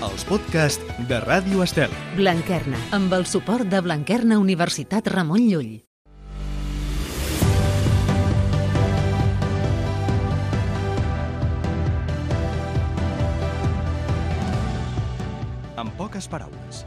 els podcasts de Ràdio Estel. Blanquerna, amb el suport de Blanquerna Universitat Ramon Llull. En poques paraules.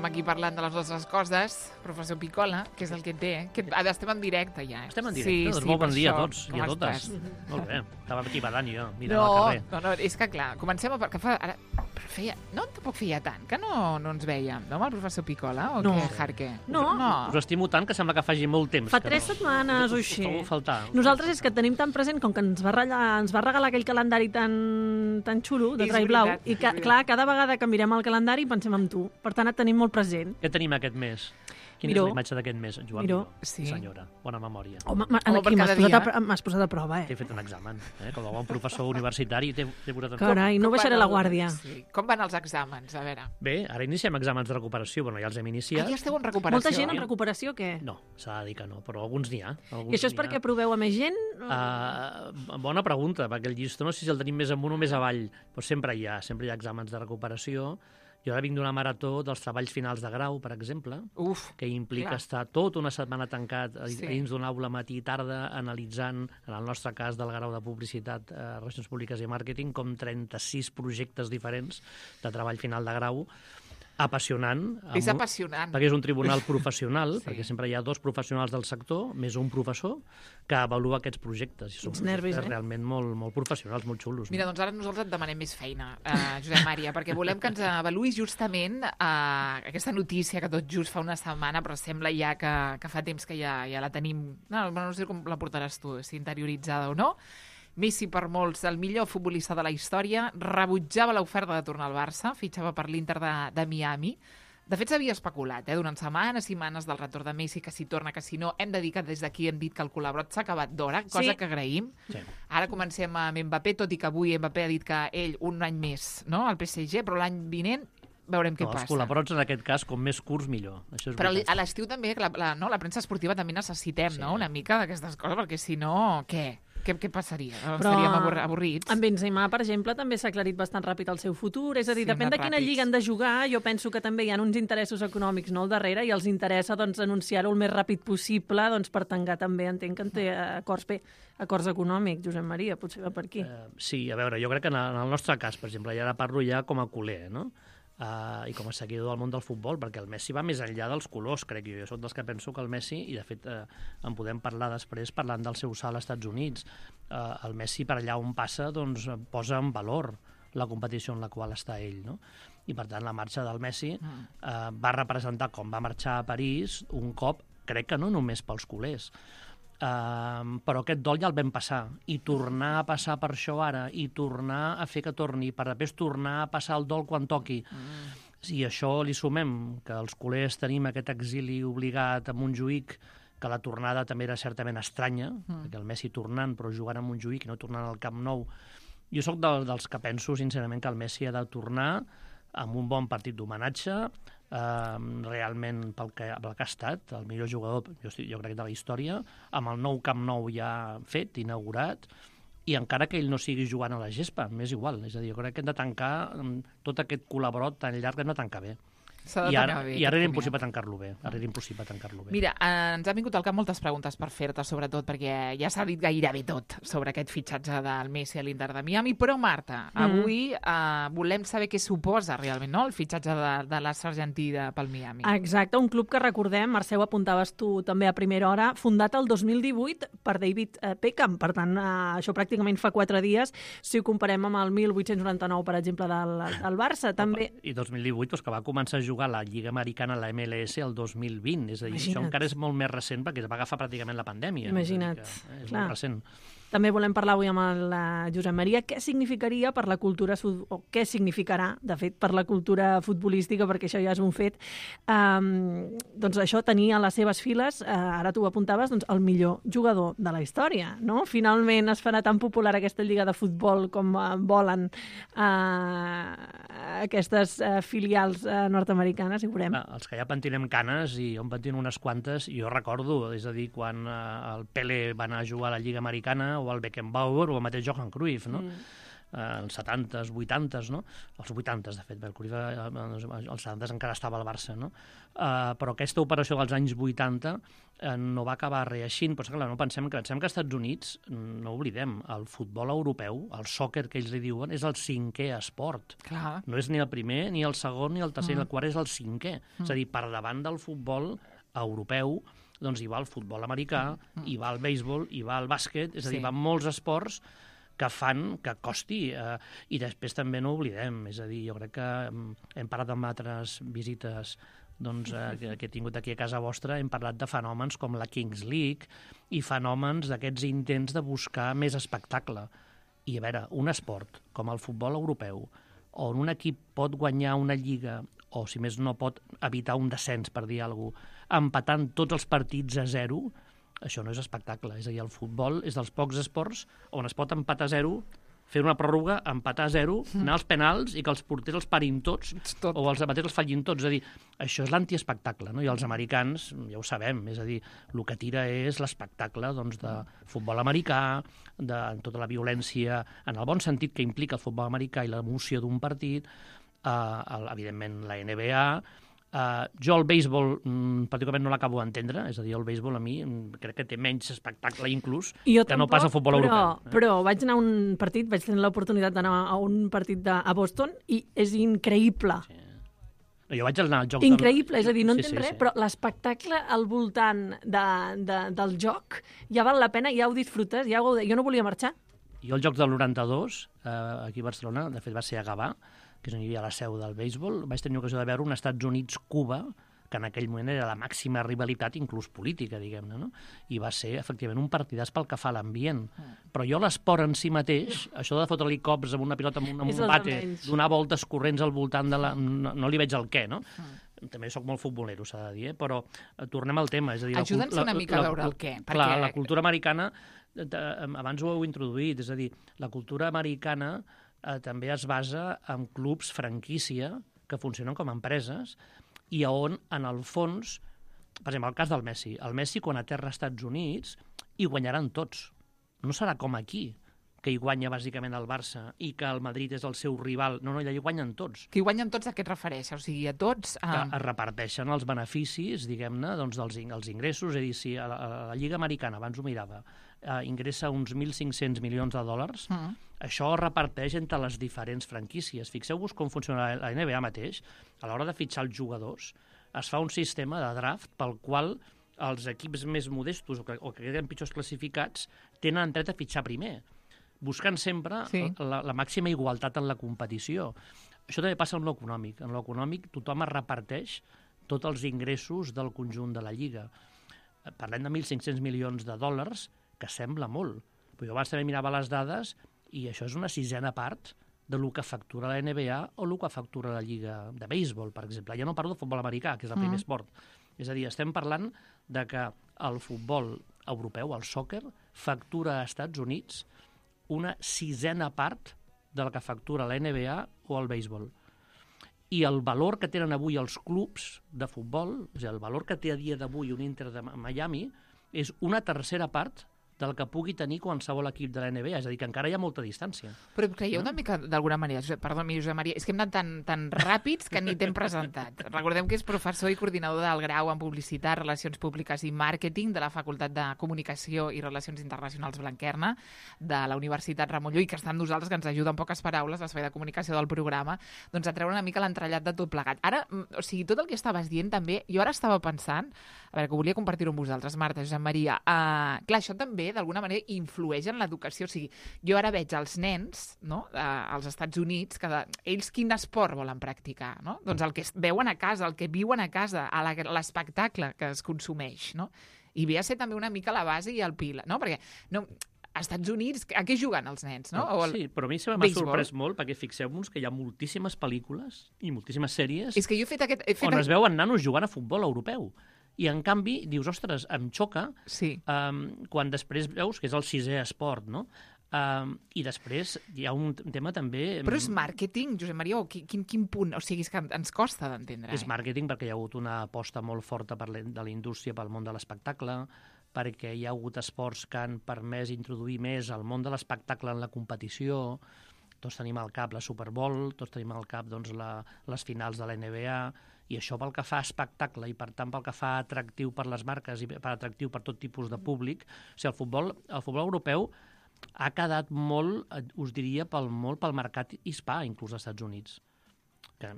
Aquí parlant de les nostres coses, professor Picola, que és el que té, que estem en directe ja. Estem en directe, doncs molt bon dia a tots i a totes. Molt bé, estava aquí badant jo, mirant al carrer. No, és que clar, comencem a... Que fa, ara, però feia, no, tampoc feia tant, que no ens vèiem, no, amb el professor Picola, o què, Jarque? No. Us estimo tant que sembla que faci molt temps. Fa 3 setmanes o així. Nosaltres és que tenim tan present, com que ens va regalar aquell calendari tan xulo, de Trai Blau, i que, clar, cada vegada que mirem el calendari pensem en tu. Per tant, et tenim molt present. Què tenim aquest mes? Quina és la imatge d'aquest mes, Joan? Miró. Sí. Senyora, bona memòria. Home, aquí m'has posat a prova, T'he fet un examen, com a bon professor universitari. T'he posat Carai, no baixaré la guàrdia. Sí. Com van els exàmens? A veure. Bé, ara iniciem exàmens de recuperació. Bueno, ja els hem iniciat. Ja esteu en recuperació? Molta gent en recuperació, què? No, s'ha de dir que no, però alguns n'hi ha. I això és perquè proveu a més gent? Bona pregunta, perquè el llistó no sé si el tenim més amunt o més avall, però sempre hi ha exàmens de recuperació. Jo ara vinc d'una marató dels treballs finals de grau, per exemple, que implica estar tota una setmana tancat dins d'una aula matí i tarda analitzant, en el nostre cas del grau de publicitat, relacions públiques i màrqueting, com 36 projectes diferents de treball final de grau. Apassionant. És apassionant. Perquè és un tribunal professional, perquè sempre hi ha 2 professionals del sector, més un professor, que avalua aquests projectes. I són nervis, realment molt professionals, molt xulos. Mira, doncs ara nosaltres et demanem més feina, Josep Maria, perquè volem que ens avaluïs justament aquesta notícia que tot just fa una setmana, però sembla ja que fa temps que ja la tenim. No sé com la portaràs tu, si interioritzada o no. Messi, per molts, el millor futbolista de la història, rebutjava l'oferta de tornar al Barça, fitxava per l'Inter de Miami. De fet, s'havia especulat, durant setmanes i setmanes del retorn de Messi, que si torna, que si no. Hem de dir que des d'aquí hem dit que el col·laborat s'ha acabat d'hora, cosa que agraïm. Sí. Ara comencem amb Mbappé, tot i que avui Mbappé ha dit que ell un any més, no?, al PSG, però l'any vinent veurem què passa. Els col·laborats, en aquest cas, com més curts, millor. Això és però a l'estiu també, la premsa esportiva també necessitem, no?, una mica d'aquestes coses, perquè si no, què? Què passaria? Estaríem avorrits. Amb Benzema, per exemple, també s'ha aclarit bastant ràpid el seu futur. És a dir, depèn de quina lliga han de jugar. Jo penso que també hi ha uns interessos econòmics al darrere i els interessa anunciar-ho el més ràpid possible per tancar també. Entenc que en té acords econòmics, Josep Maria, potser va per aquí. Sí, a veure, jo crec que en el nostre cas, per exemple, ja ara parlo ja com a culer, no?, i com a seguidor del món del futbol, perquè el Messi va més enllà dels colors, crec jo. Jo soc dels que penso que el Messi, i de fet en podem parlar després parlant del seu salt als Estats Units, el Messi per allà on passa posa en valor la competició en la qual està ell, no? I per tant la marxa del Messi va representar, com va marxar a París, un cop, crec que no només pels culers, però aquest dol ja el vam passar, i tornar a passar per això ara, i tornar a fer que torni, per després tornar a passar el dol quan toqui. Si això li sumem que els culers tenim aquest exili obligat a Montjuïc, que la tornada també era certament estranya, perquè el Messi tornant però jugant a Montjuïc i no tornant al Camp Nou, jo sóc dels que penso sincerament que el Messi ha de tornar amb un bon partit d'homenatge, realment pel que ha estat, el millor jugador, jo crec, de la història, amb el nou Camp Nou ja fet, inaugurat, i encara que ell no sigui jugant a la gespa, m'és igual. És a dir, jo crec que hem de tancar tot aquest col·laborat tan llarg, hem de tancar bé. I ara era impossible tancar-lo bé. Mira, ens han vingut al cap moltes preguntes per fer-te, sobretot, perquè ja s'ha dit gairebé tot sobre aquest fitxatge del Messi a l'Inter de Miami, però, Marta, avui volem saber què suposa realment, no?, el fitxatge de l'as argentí pel Miami. Exacte, un club que recordem, Mercè, ho apuntaves tu també a primera hora, fundat el 2018 per David Beckham. Per tant, això pràcticament fa 4 dies, si ho comparem amb el 1899, per exemple, del Barça. També... I 2018, que va començar a jugar a la Lliga Americana, la MLS, el 2020. És a dir, això encara és molt més recent perquè es va agafar pràcticament la pandèmia. Imagina't. És molt recent. També volem parlar avui amb el Josep Maria què significaria per la cultura, o què significarà, de fet, per la cultura futbolística, perquè això ja és un fet. Doncs això, tenir a les seves files, ara tu ho apuntaves, doncs, el millor jugador de la història, no? Finalment es farà tan popular aquesta lliga de futbol com volen aquestes filials nord-americanes, i veurem. Els que ja pentinem canes, i jo en pentino unes quantes, jo recordo, és a dir, quan el Pele va anar a jugar a la Lliga Americana, o el Beckenbauer, o el mateix Johan Cruyff, no? Els 70s, 80s, no? Els 80s, de fet, el Cruyff als 70s encara estava al Barça, no? Però aquesta operació dels anys 80 no va acabar reeixint, però clar, no pensem que als Estats Units, no oblidem, el futbol europeu, el sòquer que ells li diuen, és el 5è esport. Clar. No és ni el primer, ni el segon, ni el tercer, ni el quart, és el 5è. És a dir, per davant del futbol europeu, doncs hi va el futbol americà, hi va el béisbol, hi va el bàsquet, és a dir, van molts esports que fan que costi. I després també no oblidem, és a dir, jo crec que hem parlat amb altres visites que he tingut aquí a casa vostra, hem parlat de fenòmens com la Kings League i fenòmens d'aquests intents de buscar més espectacle. I a veure, un esport com el futbol europeu, on un equip pot guanyar una lliga, o si més no pot evitar un descens, per dir alguna cosa, empatant tots els partits a 0, això no és espectacle. És a dir, el futbol és dels pocs esports on es pot empatar a 0, fer una pròrroga, empatar a 0, anar als penals i que els porters els parin tots, o els debaters els fallin tots. És a dir, això és l'antiespectacle, no? I els americans, ja ho sabem, és a dir, el que tira és l'espectacle de futbol americà, de tota la violència, en el bon sentit que implica el futbol americà i l'emoció d'un partit, evidentment la NBA. Jo el béisbol particularment no l'acabo d'entendre, és a dir, el béisbol a mi crec que té menys espectacle inclús que no pas el futbol europeu. Però vaig anar a un partit, vaig tenir l'oportunitat d'anar a un partit a Boston i és increïble. Sí. Jo vaig anar al joc... Increïble, és a dir, no entenc res, però l'espectacle al voltant del joc ja val la pena, ja ho disfrutes, jo no volia marxar. Jo el joc del 92, aquí a Barcelona, de fet va ser a Gavà, que és on hi havia la seu del béisbol, vaig tenir ocasió de veure un Estats Units-Cuba, que en aquell moment era la màxima rivalitat, inclús política, diguem-ne, no? I va ser, efectivament, un partidàs pel que fa a l'ambient. Però jo l'esport en si mateix, això de fotre-li cops amb una pilota, amb un bate, donar voltes corrents al voltant de la... No li veig el què, no? També sóc molt futbolero, s'ha de dir, però tornem al tema. Ajuda'ns una mica a veure el què. Clar, la cultura americana, abans ho heu introduït, és a dir, la cultura americana també es basa en clubs franquícia que funcionen com a empreses i on, en el fons, per exemple, el cas del Messi. El Messi, quan aterra als Estats Units, hi guanyaran tots. No serà com aquí, que hi guanya bàsicament el Barça i que el Madrid és el seu rival. No, allà hi guanyen tots. Que hi guanyen tots, a què et refereixes? O sigui, a tots... Que es reparteixen els beneficis, diguem-ne, doncs, dels ingressos. És a dir, si a la Lliga Americana, abans ho mirava, ingressa uns 1.500 milions de dòlars, això es reparteix entre les diferents franquícies. Fixeu-vos com funciona la NBA mateix. A l'hora de fitxar els jugadors, es fa un sistema de draft pel qual els equips més modestos o que queden pitjors classificats tenen dret a fitxar primer, buscant sempre la màxima igualtat en la competició. Això també passa en l'econòmic. En l'econòmic tothom es reparteix tots els ingressos del conjunt de la Lliga. Parlem de 1.500 milions de dòlars, que sembla molt. Però jo abans també mirava les dades i això és una sisena part de lo que factura la NBA o el que factura la Lliga de béisbol, per exemple. Ja no parlo de futbol americà, que és el primer esport. És a dir, estem parlant de que el futbol europeu, el sòquer, factura als Estats Units una sisena part del que factura la NBA o el béisbol. I el valor que tenen avui els clubs de futbol, és a dir, el valor que té a dia d'avui un Inter de Miami, és una tercera part del que pugui tenir qualsevol equip de la NBA. És a dir, que encara hi ha molta distància. Però creieu una mica, d'alguna manera, perdoni, Josep Maria, és que hem anat tan ràpids que ni t'hem presentat. Recordem que és professor i coordinador del grau en Publicitat, Relacions Públiques i Màrqueting de la Facultat de Comunicació i Relacions Internacionals Blanquerna de la Universitat Ramon Llull, que està amb nosaltres, que ens ajuda en poques paraules, l'espai de comunicació del programa, doncs a treure una mica l'entrellat de tot plegat. Ara, o sigui, tot el que estaves dient també, jo ara estava pensant, a veure, que volia compartir-ho amb vosaltres, Marta, Josep Maria, clar, això també d'alguna manera influeix en l'educació. O sigui, jo ara veig els nens, no?, als Estats Units, que ells quin esport volen practicar, no? Doncs el que veuen a casa, el que viuen a casa, l'espectacle que es consumeix, no? I ve a ser també una mica la base i el pil, no? Perquè als Estats Units, a què juguen els nens, no? Sí, però a mi m'ha sorprès molt, perquè fixeu-vos que hi ha moltíssimes pel·lícules i moltíssimes sèries És que jo he fet on es veuen nanos jugant a futbol europeu. I, en canvi, dius, ostres, em xoca quan després veus que és el 6è esport, no? I després hi ha un tema també... Però és màrqueting, Josep Maria, o quin punt? O sigui, és que ens costa d'entendre. És màrqueting perquè hi ha hagut una aposta molt forta de la indústria pel món de l'espectacle, perquè hi ha hagut esports que han permès introduir més el món de l'espectacle en la competició. Tots tenim al cap la Super Bowl, tots tenim al cap doncs, les finals de la NBA, i això pel que fa a espectacle i, per tant, pel que fa atractiu per les marques i atractiu per tot tipus de públic. O sigui, el futbol europeu ha quedat molt, us diria, molt pel mercat hispà, inclús als Estats Units. Que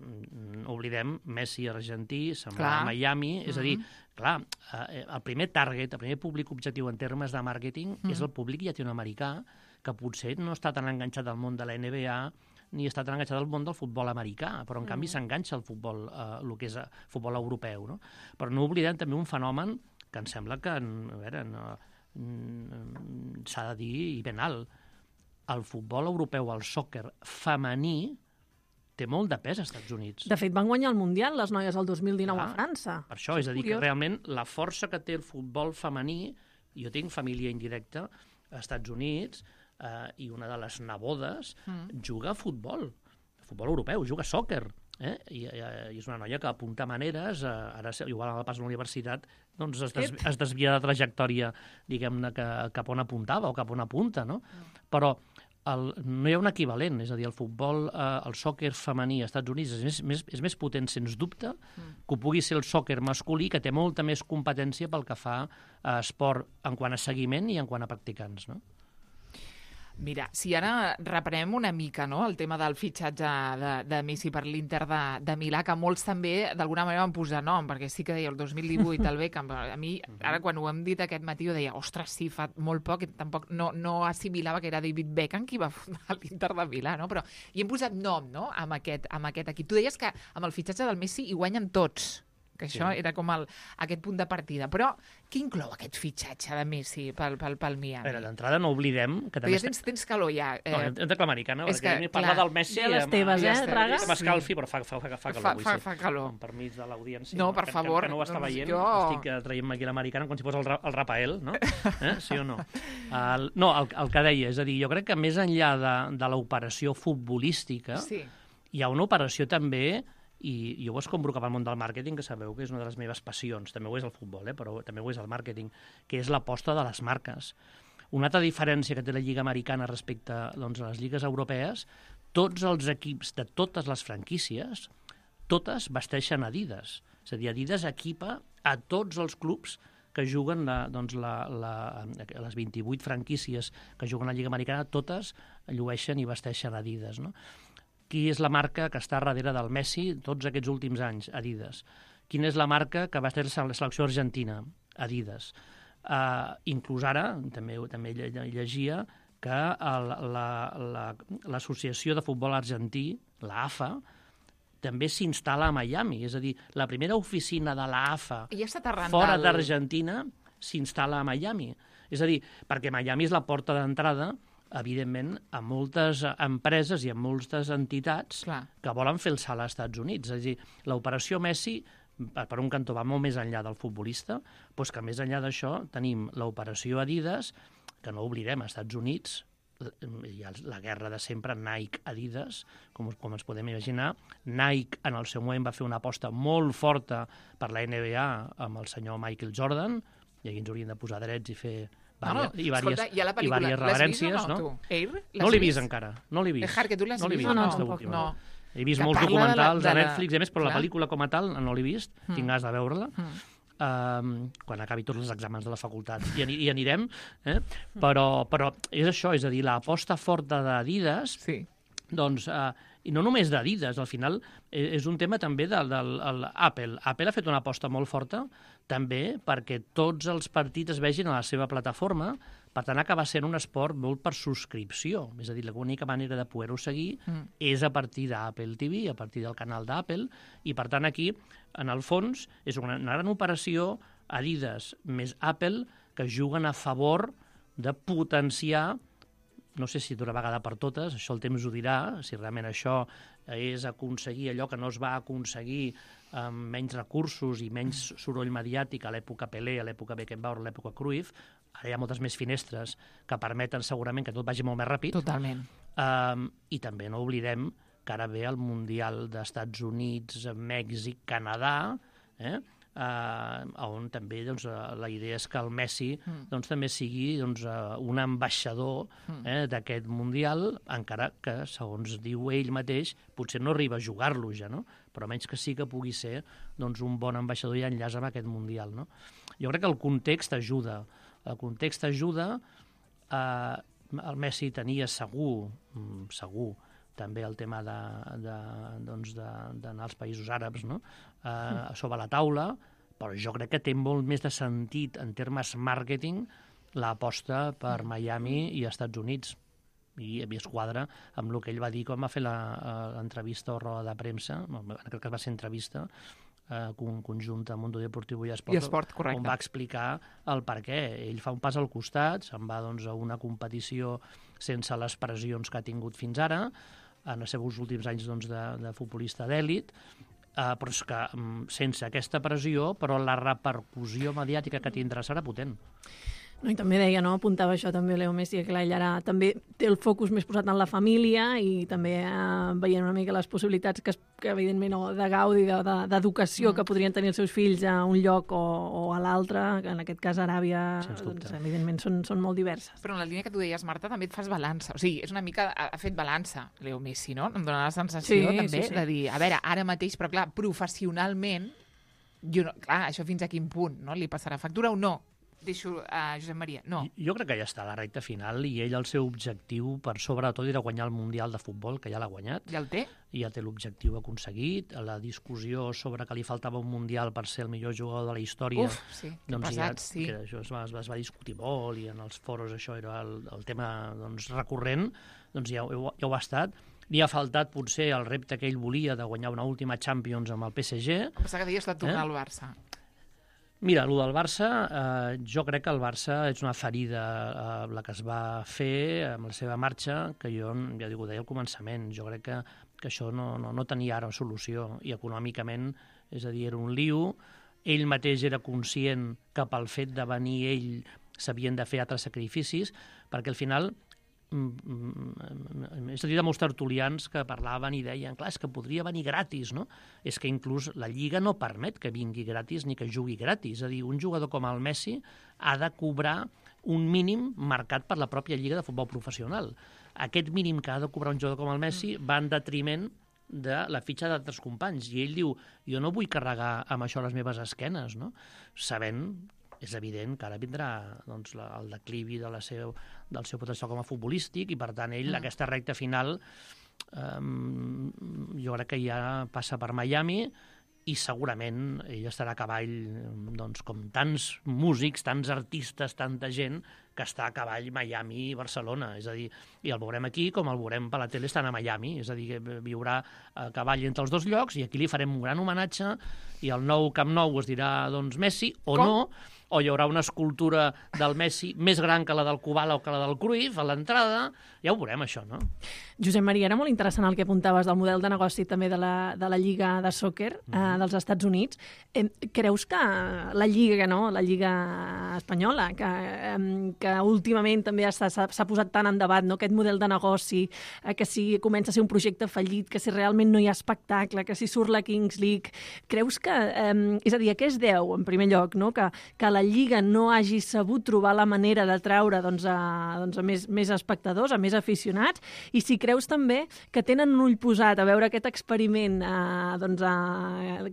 oblidem Messi argentí, se'n va a Miami, és a dir, clar, el primer target, el primer públic objectiu en termes de màrqueting és el públic llatinoamericà, que potser no està tan enganxat al món de la NBA ni està tan enganxat al món del futbol americà, però en canvi s'enganxa al futbol, el que és futbol europeu, no? Però no oblidem també un fenomen que em sembla que, a veure, s'ha de dir i ben alt. El futbol europeu, el sòquer femení, té molt de pes als Estats Units. De fet, van guanyar el Mundial les noies el 2019 a França. Per això, és a dir, que realment la força que té el futbol femení, jo tinc família indirecta als Estats Units, i una de les nebodes juga a futbol europeu, juga a sòquer. I és una noia que apunta maneres, ara igual a la pas a la universitat doncs es desvia de trajectòria, diguem-ne, cap on apuntava o cap on apunta, no? Però no hi ha un equivalent, és a dir, el futbol, el sòquer femení als Estats Units és més potent, sens dubte, que ho pugui ser el sòquer masculí, que té molta més competència pel que fa a esport en quant a seguiment i en quant a practicants, no? Mira, si ara reprenem una mica, no?, el tema del fitxatge de Messi per l'Inter de Milà, que molts també d'alguna manera van posar nom, perquè sí que deia el 2018 el Beckham, a mi ara quan ho hem dit aquest matí jo deia, ostres, sí, fa molt poc, tampoc no assimilava que era David Beckham qui va fundar l'Inter de Milà, no? Però hi hem posat nom, no?, amb aquest equip. Tu deies que amb el fitxatge del Messi hi guanyen tots, que això era com aquest punt de partida. Però què inclou aquest fitxatge de Messi pel Miami? A veure, d'entrada no oblidem que també... Però ja tens calor, ja. No, entra l'americana, perquè parlar del Messi... Ja les teves, Raga? M'escalfi, però fa calor. Fa calor. Amb permís de l'audiència. No, per favor. Que no ho està veient. Estic traient-me aquí l'americana com si fos el Rafael, no? Sí o no? No, el que deia, és a dir, jo crec que més enllà de l'operació futbolística, hi ha una operació també... I jo ho escombro cap al món del màrqueting, que sabeu que és una de les meves passions, també ho és el futbol, però també ho és el màrqueting, que és l'aposta de les marques. Una altra diferència que té la Lliga Americana respecte doncs, a les lligues europees, tots els equips de totes les franquícies, totes vesteixen Adidas. És a dir, Adidas equipa a tots els clubs que juguen les 28 franquícies que juguen a la Lliga Americana, totes llueixen i vesteixen Adidas, no? Qui és la marca que està darrere del Messi tots aquests últims anys? Adidas. Quina és la marca que va ser la selecció argentina? Adidas. Inclús ara, també llegia, que l'Associació de Futbol Argentí, l'AFA, també s'instal·la a Miami. És a dir, la primera oficina de l'AFA fora d'Argentina s'instal·la a Miami. És a dir, perquè Miami és la porta d'entrada, evidentment, a moltes empreses i a moltes entitats que volen fer el salt als Estats Units. És a dir, l'operació Messi, per un cantó, va molt més enllà del futbolista, doncs que més enllà d'això tenim l'operació Adidas, que no oblidem, als Estats Units hi ha la guerra de sempre Nike-Adidas, com ens podem imaginar. Nike, en el seu moment, va fer una aposta molt forta per la NBA amb el senyor Michael Jordan, i aquí ens haurien de posar drets i fer... diverses reverències, no? No l'he vist encara, no l'he vist. Que tu l'has vist? No. He vist molts documentals de Netflix, a més, però la pel·lícula com a tal no l'he vist, tinc ganes de veure-la. Quan acabi tots els exàmens de la facultat hi anirem, però és això, és a dir, l'aposta forta d'Adidas, doncs, i no només d'Adidas, al final és un tema també d'Apple. Apple ha fet una aposta molt forta també perquè tots els partits es vegin a la seva plataforma, per tant acaba sent un esport molt per subscripció, és a dir, l'única manera de poder-ho seguir és a partir d'Apple TV, a partir del canal d'Apple, i per tant aquí, en el fons, és una gran operació Adidas més Apple que juguen a favor de potenciar, no sé si d'una vegada per totes, això el temps ho dirà, si realment això és aconseguir allò que no es va aconseguir amb menys recursos i menys soroll mediàtic a l'època Pelé, a l'època Beckenbauer, a l'època Cruyff. Ara hi ha moltes més finestres que permeten segurament que tot vagi molt més ràpid. Totalment. I també no oblidem que ara ve el Mundial d'Estats Units, Mèxic, Canadà, on també la idea és que el Messi també sigui un ambaixador d'aquest Mundial, encara que, segons diu ell mateix, potser no arriba a jugar-lo ja, no? Però menys que sí que pugui ser un bon ambaixador i enllaç amb aquest Mundial. No? Jo crec que el context ajuda. El context ajuda. El Messi tenia segur, també el tema d'anar als països àrabs, no? Sobre la taula, però jo crec que té molt més de sentit en termes màrqueting l'aposta per Miami i Estats Units. I a mi es quadra amb el que ell va dir quan va fer l'entrevista o roda de premsa, crec que va ser entrevista, conjunta a Mundo Deportivo i Esport, correcte, on va explicar el per què. Ell fa un pas al costat, se'n va a una competició sense les pressions que ha tingut fins ara, en els seus últims anys de futbolista d'èlit, però és que sense aquesta pressió, però la repercussió mediàtica que tindrà serà potent. No, i també deia, no? Apuntava això també Leo Messi, que ell ara també té el focus més posat en la família i també veient una mica les possibilitats que evidentment, de gaudi, d'educació que podrien tenir els seus fills a un lloc o a l'altre, que en aquest cas Aràbia, evidentment són molt diverses. Però en la línia que tu deies, Marta, també et fas balança. O sigui, és una mica, ha fet balança, Leo Messi, no? Em dóna la sensació també de dir, a veure, ara mateix, però clar, professionalment, clar, això fins a quin punt, no? Li passarà factura o no? Deixo a Josep Maria. No. Jo crec que ja està a la recta final i ell el seu objectiu, per sobretot, era guanyar el Mundial de Futbol, que ja l'ha guanyat. Ja el té? Ja té l'objectiu aconseguit. La discussió sobre que li faltava un Mundial per ser el millor jugador de la història... Uf, sí, que pesat, sí. Que això es va discutir molt i en els foros això era el tema recurrent. Doncs ja ho ha estat. Li ha faltat potser el repte que ell volia de guanyar una última Champions amb el PSG. Em pensava que deies de tornar al Barça. Mira, el del Barça, jo crec que el Barça és una ferida la que es va fer amb la seva marxa, que jo, ja dic, ho deia al començament, jo crec que això no tenia ara solució, i econòmicament, és a dir, era un lío, ell mateix era conscient que pel fet de venir ell s'havien de fer altres sacrificis, perquè al final és a dir, de molts tertulians que parlaven i deien, clar, és que podria venir gratis, no? És que inclús la Lliga no permet que vingui gratis ni que jugui gratis. És a dir, un jugador com el Messi ha de cobrar un mínim marcat per la pròpia Lliga de Futbol Professional. Aquest mínim que ha de cobrar un jugador com el Messi va en detriment de la fitxa d'altres companys. I ell diu, jo no vull carregar amb això les meves esquenes, no? Sabent, és evident que ara vindrà el declivi del seu potencial com a futbolístic i, per tant, ell, aquesta recta final, jo crec que ja passa per Miami i segurament ell estarà a cavall, com tants músics, tants artistes, tanta gent que està a cavall Miami i Barcelona. És a dir, i el veurem aquí com el veurem per la tele estant a Miami. És a dir, que viurà a cavall entre els dos llocs i aquí li farem un gran homenatge i el nou Camp Nou es dirà, Messi o no, o hi haurà una escultura del Messi més gran que la del Kubala o que la del Cruyff a l'entrada. Ja ho veurem, això, no? Josep Maria, era molt interessant el que apuntaves del model de negoci també de la Lliga de Soccer dels Estats Units. Creus que la Lliga, no? La Lliga espanyola, que últimament també s'ha posat tant en debat, no? Aquest model de negoci, que si comença a ser un projecte fallit, que si realment no hi ha espectacle, que si surt la Kings League... Creus que... és a dir, a què es deu, en primer lloc, no? Que la Lliga no hagi sabut trobar la manera de traure a més espectadors, a més aficionats, i si creus també que tenen un ull posat a veure aquest experiment,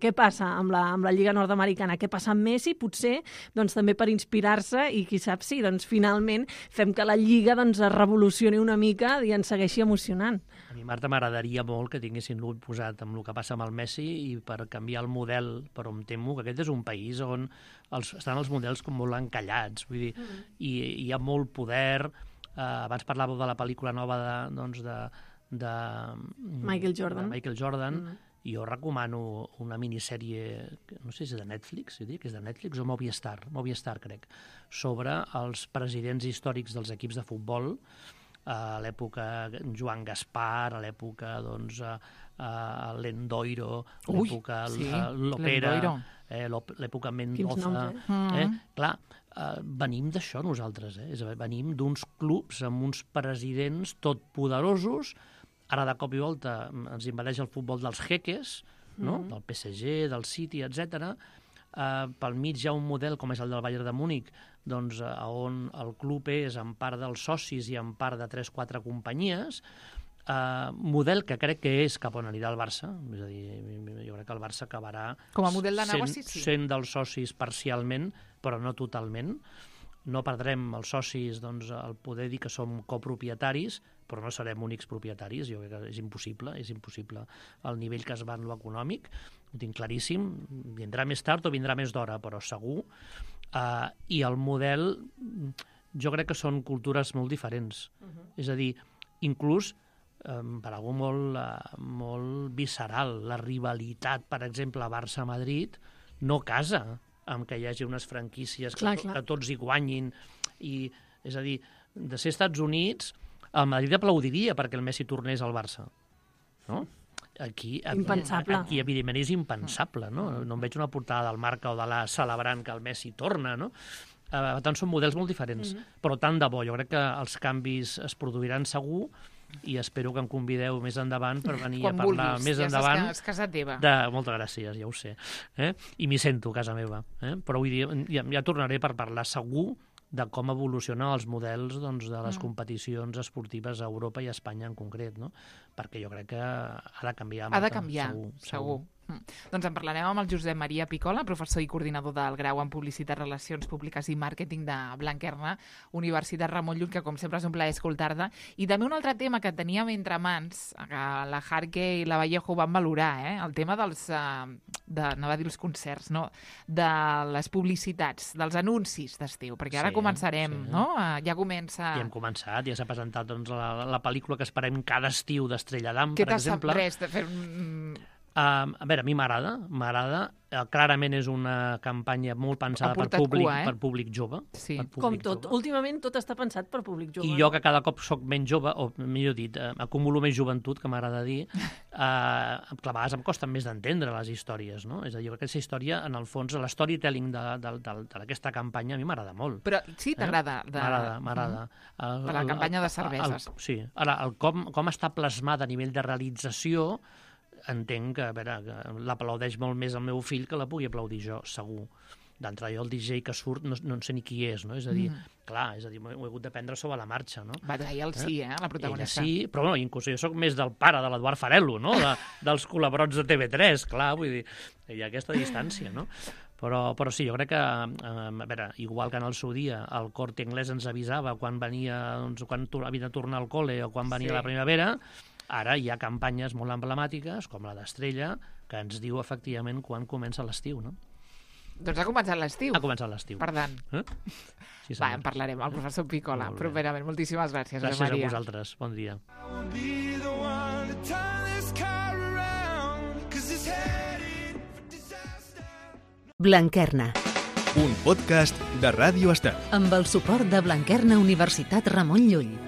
què passa amb la Lliga nord-americana, què passa amb Messi, potser també per inspirar-se i qui sap si finalment fem que la Lliga es revolucioni una mica i ens segueixi emocionant. A mi, Marta, m'agradaria molt que tinguessin l'ull posat amb el que passa amb el Messi i per canviar el model, però em temo que aquest és un país on estan els models com molt encallats, vull dir, i hi ha molt poder. Abans parlàveu de la pel·lícula nova de Michael Jordan. Michael Jordan, Jo recomano una minissèrie, no sé si és de Netflix, jo diria que és de Netflix o Movistar crec, sobre els presidents històrics dels equips de futbol, a l'època Joan Gaspar, a l'època l'Endoiro, l'època l'Opera, l'època Mendoza. Clar, venim d'això nosaltres, venim d'uns clubs amb uns presidents totpoderosos. Ara de cop i volta ens invadeix el futbol dels jeques, del PSG, del City, etc. Pel mig hi ha un model com és el del Bayern de Múnich, doncs, on el club és en part dels socis i en part de 3-4 companyies, model que crec que és cap on anirà el Barça, és a dir, jo crec que el Barça acabarà com a model de negoci, sent dels socis parcialment, però no totalment. No perdrem els socis el poder dir que som copropietaris, però no serem únics propietaris. Jo crec que és impossible el nivell que es va en l'econòmic, ho tinc claríssim, vindrà més tard o vindrà més d'hora, però segur. I el model, jo crec que són cultures molt diferents. És a dir, inclús per algú molt visceral, la rivalitat, per exemple, Barça-Madrid, no casa amb que hi hagi unes franquícies que tots hi guanyin. És a dir, de ser Estats Units, el Madrid aplaudiria perquè el Messi tornés al Barça. No? Aquí, evidentment, és impensable. No em veig una portada del Marca o de l'A celebrant que el Messi torna. No? Per tant, són models molt diferents. Però tant de bo, jo crec que els canvis es produiran segur i espero que em convideu més endavant per venir a parlar més endavant. És casa teva. Moltes gràcies, ja ho sé. I m'hi sento a casa meva. Però vull dir, ja tornaré per parlar segur de com evolucionen els models de les competicions esportives a Europa i a Espanya en concret, no? Perquè jo crec que ha de canviar. Ha de canviar, segur. Doncs en parlarem amb el Josep Maria Picola, professor i coordinador del grau en Publicitat, Relacions Públiques i Màrqueting de Blanquerna, Universitat Ramon Llull, que com sempre és un plaer escoltar-te. I també un altre tema que teníem entre mans, que la Jarque i la Vallejo van valorar, el tema dels, anava a dir els concerts, no? De les publicitats, dels anuncis d'estiu, perquè ara començarem, no? Ja comença... Ja hem començat, ja s'ha presentat la pel·lícula que esperem cada estiu d'Estrella d'Am, per exemple. Res de fer a veure, a mi m'agrada. Clarament és una campanya molt pensada per públic jove. Sí. Com tot. Últimament tot està pensat per públic jove. I jo, que cada cop soc menys jove, o millor dit, acumulo més joventut, que m'agrada dir, a vegades em costen més d'entendre les històries, no? És a dir, aquesta història, en el fons, l'storytelling d'aquesta campanya a mi m'agrada molt. Però sí, t'agrada? M'agrada. Per la campanya de cerveses. Sí. Ara, com està plasmada a nivell de realització, entenc que l'aplaudeix molt més el meu fill que la pugui aplaudir jo, segur. D'entrada, jo el DJ que surt no sé ni qui és, no? És a dir, m'ho he hagut d'aprendre sobre la marxa, no? Va trair la protagonista. Ella sí, però inclús jo soc més del pare de l'Eduard Farello, no? Dels col·laborats de TV3, clar, vull dir, hi ha aquesta distància, no? Però sí, jo crec que, igual que en el seu dia el Corte Inglés ens avisava quan havia de tornar al col·le o quan venia la primavera, ara hi ha campanyes molt emblemàtiques, com la d'Estrella, que ens diu efectivament quan comença l'estiu, no? Doncs ha començat l'estiu. Ha començat l'estiu. Per tant. Sí, en parlarem, el professor Picola. Properament. Moltíssimes gràcies, Josep Maria. Gràcies a vosaltres. Bon dia. Blanquerna. Un podcast de Ràdio Estel. Amb el suport de Blanquerna Universitat Ramon Llull.